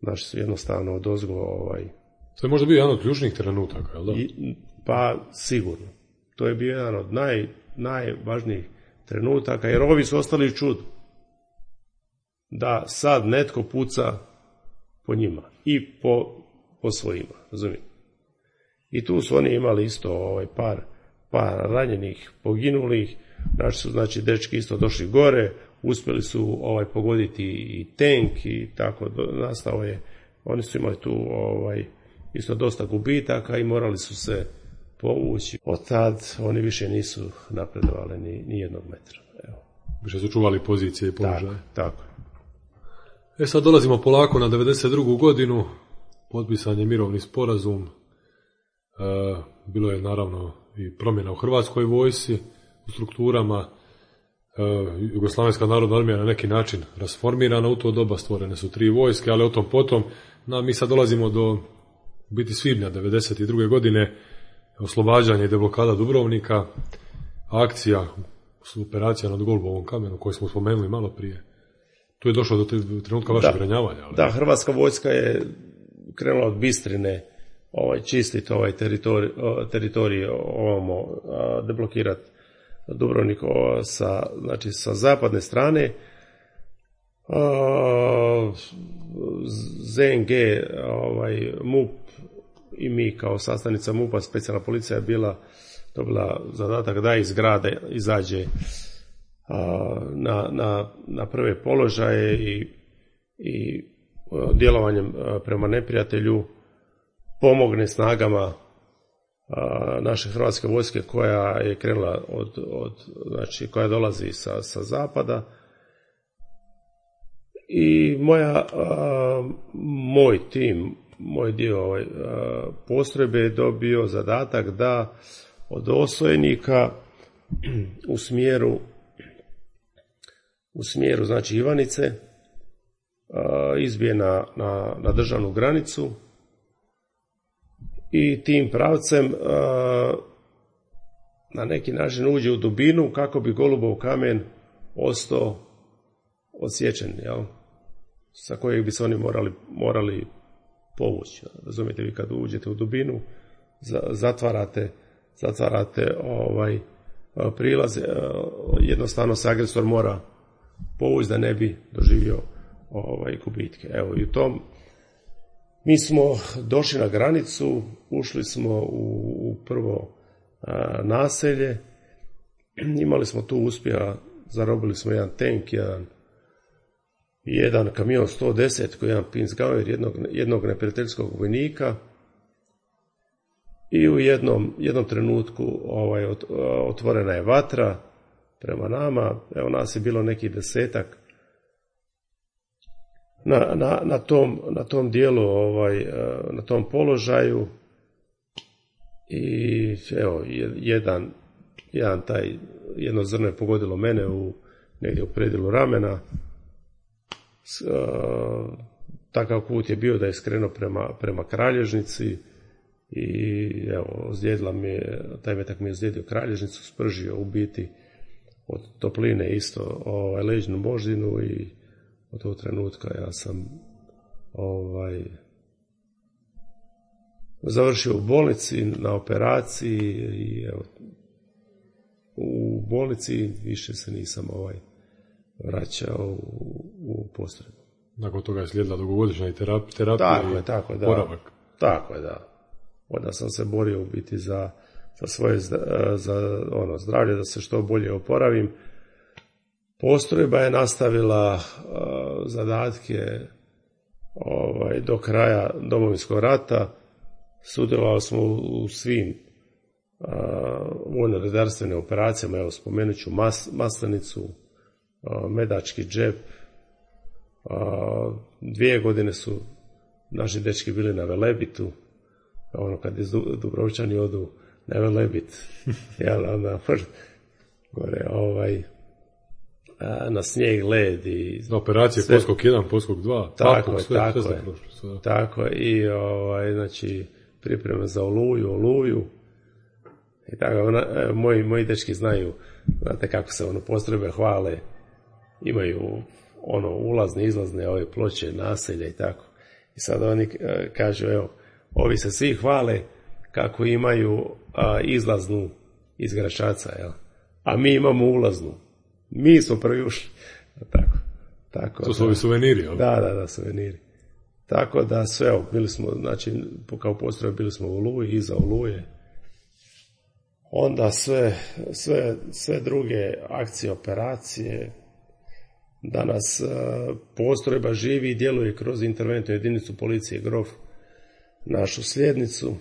S7: Naši su jednostavno odozgo
S6: To je možda bio jedan od ključnih trenutaka, jel da?
S7: Pa sigurno. To je bio jedan od najvažnijih trenutaka, jer ovi su ostali u čudu. Da sad netko puca po njima i po svojima, razumijete? I tu su oni imali isto par ranjenih, poginulih. Naši su, znači, dečki isto došli gore, uspjeli su pogoditi i tank i tako nastao je. Oni su imali tu isto dosta gubitaka i morali su se povući. Od tad oni više nisu napredovali ni jednog metra. Evo.
S6: Više su čuvali pozicije i položaje.
S7: Tako.
S6: Sad dolazimo polako na 92. godinu, potpisan je mirovni sporazum, bilo je naravno i promjena u Hrvatskoj vojsci, u strukturama, Jugoslavenska narodna armija na neki način rasformirana u to doba, stvorene su 3 vojske, ali o tom potom. Mi sad dolazimo do biti svibnja 92. godine, oslobađanje i deblokada Dubrovnika, akcija, operacija nad Golubovom kamenu koju smo spomenuli malo prije. Tu je došlo do trenutka vašeg ranjavanja. Ali...
S7: Da, Hrvatska vojska je krenula od Bistrine čistiti teritorij, deblokirati Dubrovnik sa zapadne strane. ZNG, MUP i mi kao sastavnica MUP-a, specijalna policija je dobila zadatak da iz grada izađe na prve položaje i djelovanjem prema neprijatelju pomogne snagama naše hrvatske vojske koja je krenula znači koja dolazi sa zapada. I moj tim, moj dio postrojbe je dobio zadatak da od osojnika u smjeru znači Ivanice izbije na državnu granicu i tim pravcem na neki način uđe u dubinu kako bi Golubov kamen ostao odsječen, jel? Sa kojeg bi se oni morali povući. Razumijete, vi kad uđete u dubinu, zatvarate prilaze, jednostavno se agresor mora povući da ne bi doživio gubitke. Evo, i u tom mi smo došli na granicu, ušli smo u prvo naselje, imali smo tu uspjeha, zarobili smo jedan tank, jedan kamion 110 koji je jedan Pinsgauer, jednog neprijateljskog vojnika, i u jednom trenutku otvorena je vatra prema nama. Evo, nas je bilo neki 10 na tom dijelu, na tom položaju, i evo, jedno zrno je pogodilo mene negdje u predilu ramena. takav put je bio da je skrenuo prema Kralježnici i evo, ozlijedila mi je, taj metak mi je ozlijedio Kralježnicu, spržio u biti od topline isto leđnu moždinu i od tog trenutka ja sam završio u bolnici na operaciji i evo, u bolnici više se nisam vraćao u postrojbu.
S6: Nakon toga je slijedila dugogodišnja terapija
S7: tako, da.
S6: Poravak.
S7: Tako je, da. Onda sam se borio u biti za svoje zdravlje, da se što bolje oporavim. Postrojba je nastavila zadatke do kraja Domovinskog rata. Sudjelovali smo u svim vojno-redarstvenim operacijama. Evo, spomenut ću Maslenicu, Medački džep. 2 godine su naši dečki bili na Velebitu. Kad iz Dubrovčani odu na Velebit, onda gore na snijeg, led i
S6: operacije Poskok 1, Poskok 2,
S7: tako je. I znači pripreme za Oluju i tako. Moji dečki znaju, znate kako se postrojbe hvale, imaju ulazne, izlazne ove ploče, naselja i tako. I sad oni kažu, evo, ovi se svi hvale kako imaju izlaznu iz Gračaca, jel? A mi imamo ulaznu. Mi smo prvi ušli. Tako,
S6: to su ovi suveniri, jel?
S7: Da, suveniri. Tako da sve, bili smo, znači, kao postrojbe bili smo u Oluji, iza Oluje. Onda sve druge akcije, operacije. Danas postrojba živi i djeluje kroz interventnu jedinicu policije Grof, našu sljednicu.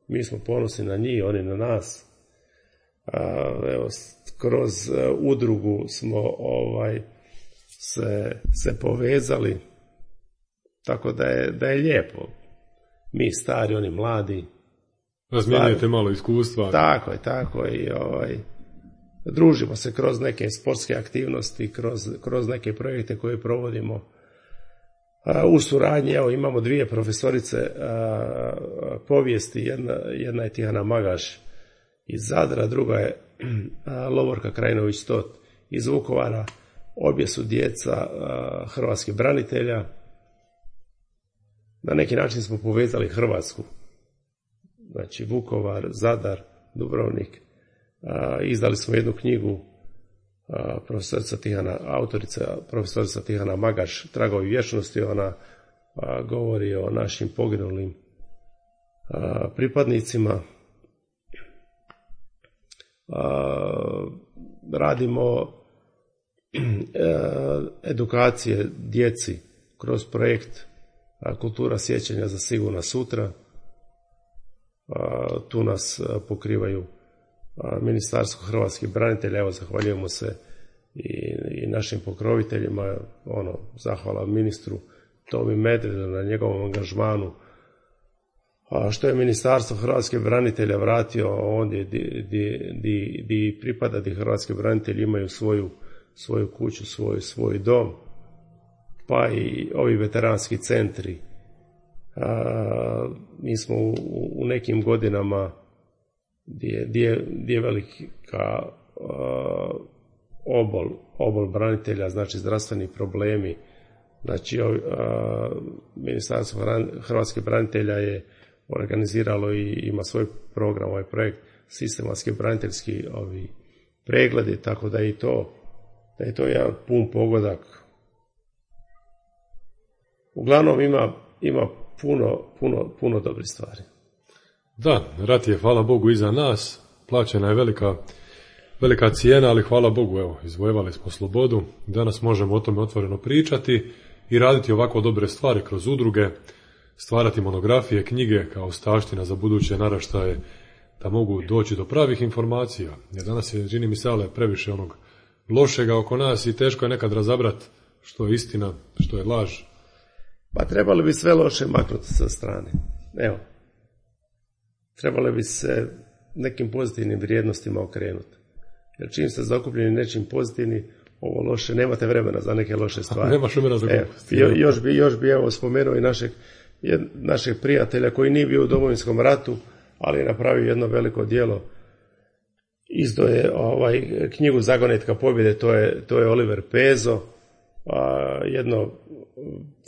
S7: Mi smo ponosni na njih, oni na nas. Evo, kroz udrugu smo se povezali, tako da je lijepo. Mi stari, oni mladi.
S6: Razmijenjujete malo iskustva.
S7: Tako i družimo se kroz neke sportske aktivnosti, kroz neke projekte koje provodimo u suradnji. Evo, imamo 2 profesorice povijesti, jedna je Tihana Magaš iz Zadra, druga je Lovorka Krajinović-Tot iz Vukovara. Obje su djeca hrvatskih branitelja. Na neki način smo povezali Hrvatsku. Znači Vukovar, Zadar, Dubrovnik. Izdali smo jednu knjigu, autorica profesorica Tihana Magaš, Tragovi vječnosti. Ona govori o našim poginulim pripadnicima. Radimo edukacije djeci kroz projekt Kultura sjećanja za sigurna sutra. Tu nas pokrivaju Ministarstvo hrvatskih branitelja. Evo, zahvaljujemo se i našim pokroviteljima. Zahvala ministru Tomi Medvedu na njegovom angažmanu. Što je Ministarstvo hrvatskih branitelja vratio ondje di pripada, di hrvatski branitelji imaju svoju kuću, svoj dom, pa i ovi veteranski centri. Mi smo u nekim godinama gdje je velika obol branitelja, znači zdravstveni problemi. Znači, Ministarstvo hrvatskih branitelja je organiziralo i ima svoj program, ovaj projekt, sistematski braniteljski pregledi, tako da je to jedan pun pogodak. Uglavnom ima puno dobrih stvari.
S6: Da, rat je, hvala Bogu, iza nas, plaćena je velika cijena, ali hvala Bogu, evo, izvojevali smo slobodu, danas možemo o tome otvoreno pričati i raditi ovako dobre stvari kroz udruge, stvarati monografije, knjige kao ostavština za buduće naraštaje, da mogu doći do pravih informacija. Jer danas je, čini mi se, previše onog lošega oko nas i teško je nekad razabrati što je istina, što je laž.
S7: Pa trebali bi sve loše maknuti sa strane. Evo, trebali bi se nekim pozitivnim vrijednostima okrenuti. Jer čim ste zakupljeni nečim pozitivnim, ovo loše, nemate vremena za neke loše stvari.
S6: Nemaš vremena za gluposti.
S7: Još bi evo spomenuo i našeg prijatelja koji nije bio u Domovinskom ratu, ali je napravio jedno veliko djelo. Izdao je knjigu Zagonetka pobjede, to je Oliver Pezo, jedno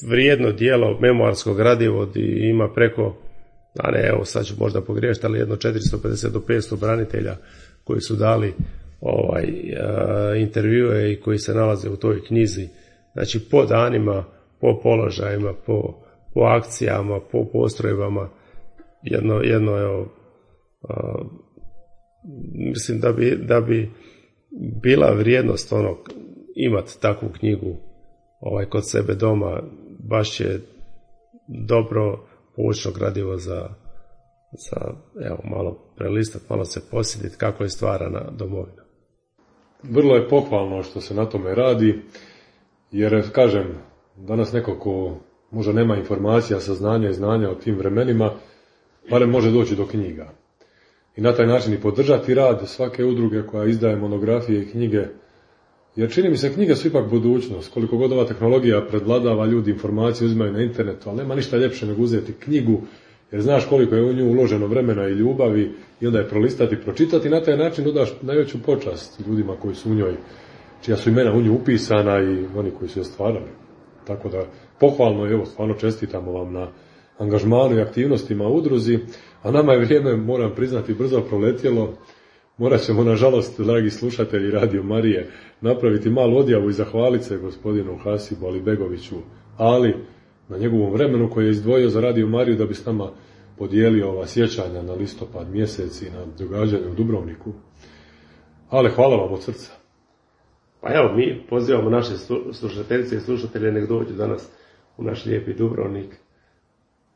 S7: vrijedno djelo, memoarsko gradivo, i ima preko, sad ću možda pogriješiti, ali jedno 450 do 500 branitelja koji su dali intervjue i koji se nalaze u toj knjizi. Znači po danima, po položajima, po akcijama, po postrojbama, jedno mislim da bi bila vrijednost imati takvu knjigu kod sebe doma. Baš je dobro poučno gradivo za malo prelistati, malo se posjetiti kako je stvarana domovina.
S6: Vrlo je pohvalno što se na tome radi, jer kažem, danas neko ko možda nema informacija, saznanja i znanja o tim vremenima, barem može doći do knjiga. I na taj način i podržati rad svake udruge koja izdaje monografije i knjige, jer čini mi se knjige su ipak budućnost. Koliko god ova tehnologija predvladava, ljudi informacije uzimaju na internetu, ali nema ništa ljepše nego uzeti knjigu, jer znaš koliko je u nju uloženo vremena i ljubavi, i onda je prolistati, pročitati, i na taj način dodaš najveću počast ljudima koji su u njoj, čija su imena u nju upisana i oni koji su je stvarali. Tako da pohvalno, evo, stvarno čestitamo vam na angažmanu i aktivnostima u udruzi, a nama je vrijeme, moram priznati, brzo proletjelo. Morat ćemo, nažalost, dragi slušatelji Radio Marije, napraviti malu odjavu i zahvaliti se gospodinu Hasibu Alibegoviću, ali na njegovom vremenu koji je izdvojio za Radio Mariju da bi s nama podijelio ova sjećanja na listopad mjesec i na događanje u Dubrovniku. Ale hvala vam od srca.
S7: Pa evo, mi pozivamo naše slušateljice i slušatelje nek dođu danas u naš lijepi Dubrovnik,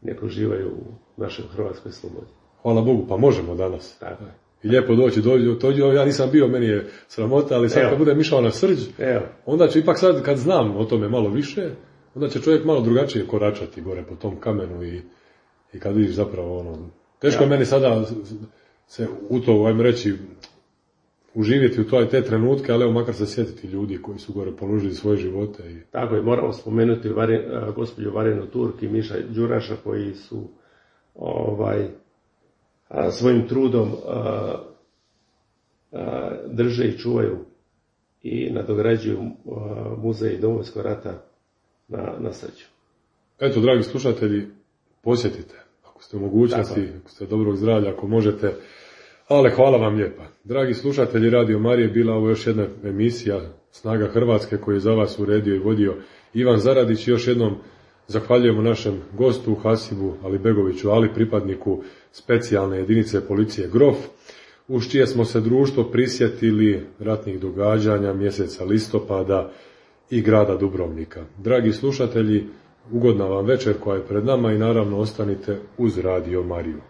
S7: nek uživaju u našoj hrvatskoj slobodi.
S6: Hvala Bogu, pa možemo danas.
S7: Tako.
S6: I lijepo dođi, ja nisam bio, meni je sramota, ali sad kad budem išao na Srđ, onda ću ipak sad, kad znam o tome malo više, onda će čovjek malo drugačije koračati gore po tom kamenu i kad vidiš zapravo teško je meni sada se u to, ajmo reći, uživjeti u te trenutke, ali evo makar se sjetiti ljudi koji su gore položili svoje živote.
S7: Tako je, moramo spomenuti gospođu Varenu Turk i Miša Đuraša koji su svojim trudom drže i čuvaju i nadograđuju muzej Domovinskog rata na Srđu.
S6: Eto, dragi slušatelji, posjetite, ako ste u mogućnosti, ako ste dobrog zdravlja, ako možete, ale hvala vam lijepa. Dragi slušatelji Radio Marije, bila ovo još jedna emisija Snaga Hrvatske koju je za vas uredio i vodio Ivan Zaradić. Još jednom zahvaljujemo našem gostu Hasibu Alibegoviću, ali pripadniku specijalne jedinice policije Grof, uz čije smo se društvo prisjetili ratnih događanja mjeseca listopada i grada Dubrovnika. Dragi slušatelji, ugodna vam večer koja je pred nama i naravno ostanite uz Radio Mariju.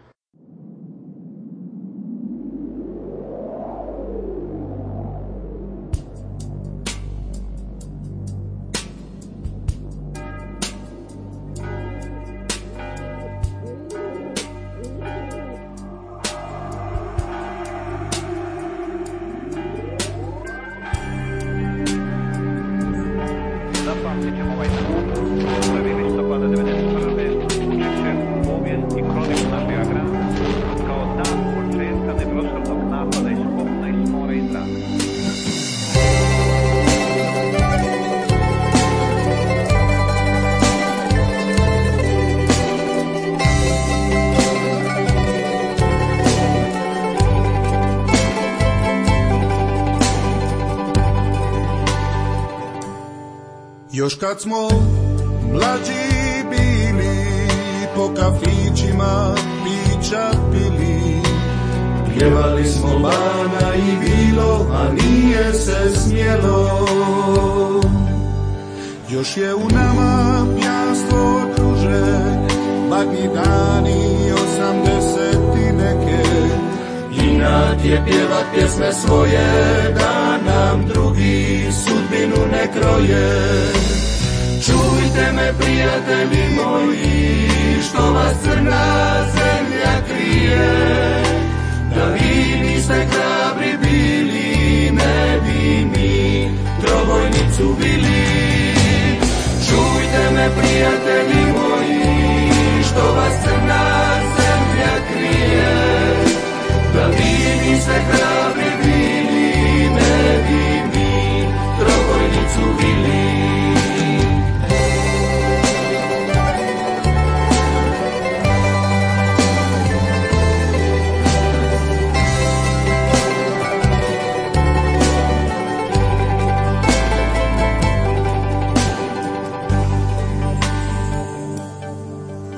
S3: Još kad smo mlađi bili, po kafićima pića pili, pjevali smo Bana i Vilo, a nije se smjelo. Još je u nama pijanstvo druže, badnji dani 80 neke. Inat je pjevat pjesme svoje, da nam drugi sudbinu ne kroje. Čujte me, prijatelji moji, što vas crna zemlja krije. Da vi niste hrabri bili, ne bi mi trobojnicu bili. Čujte me, prijatelji moji, što vas crna zemlja krije, da vi niste hrabri bili, ne bi mi trobojnicu bili.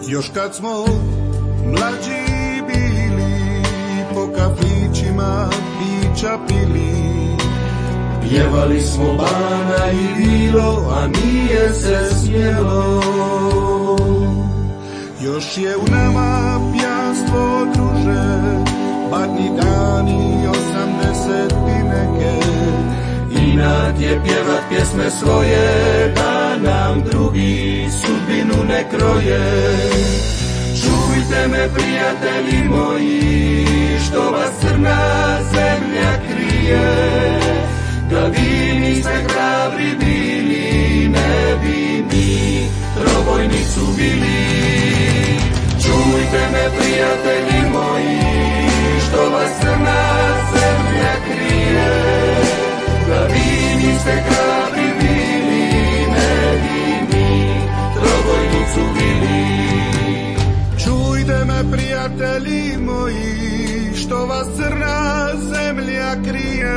S3: Još kad smo mlađi bili, po kafićima pića pili, pjevali smo Bana i Vilo, a nije se smjelo. Još je u nama pijanstvo, druže, badni dani 80 neke. Inat je pjevat pjesme svoje, da nam drugi sudbinu ne kroje. Čujte me, prijatelji moji, što vas crna zemlja krije, da vi niste hrabri bili, ne bi mi trobojnicu bili. Čujte me, prijatelji moji, što vas crna zemlja krije, da vi niste hrabri bili, ne bi mi trobojnicu bili. Čujte me, prijatelji moji, što vas crna zemlja krije,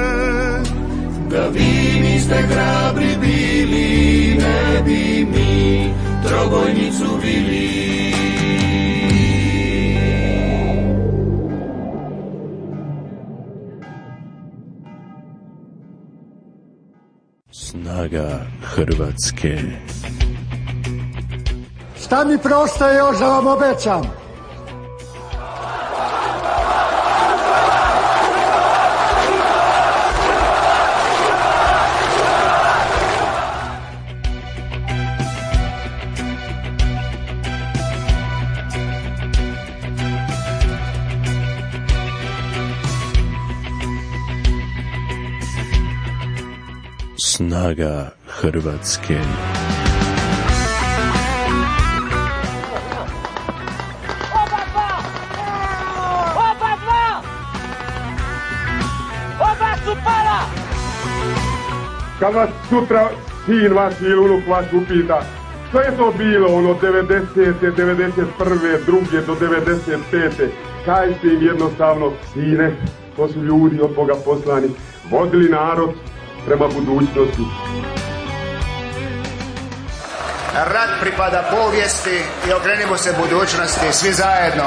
S3: da vi niste hrabri bili, ne bi mi trobojnicu bili.
S1: Snaga Hrvatske.
S2: Šta mi preostaje još da vam obećam?
S1: Snaga Hrvatske.
S4: Kad vas sutra sin vaš ili unuk vaš upita što je to bilo ono 90. 91. 2. do 95. Kažite im jednostavno, sine, to su ljudi od Boga poslani, vodili narod prema budućnosti.
S5: Rat pripada povijesti i okrenimo se budućnosti svi zajedno.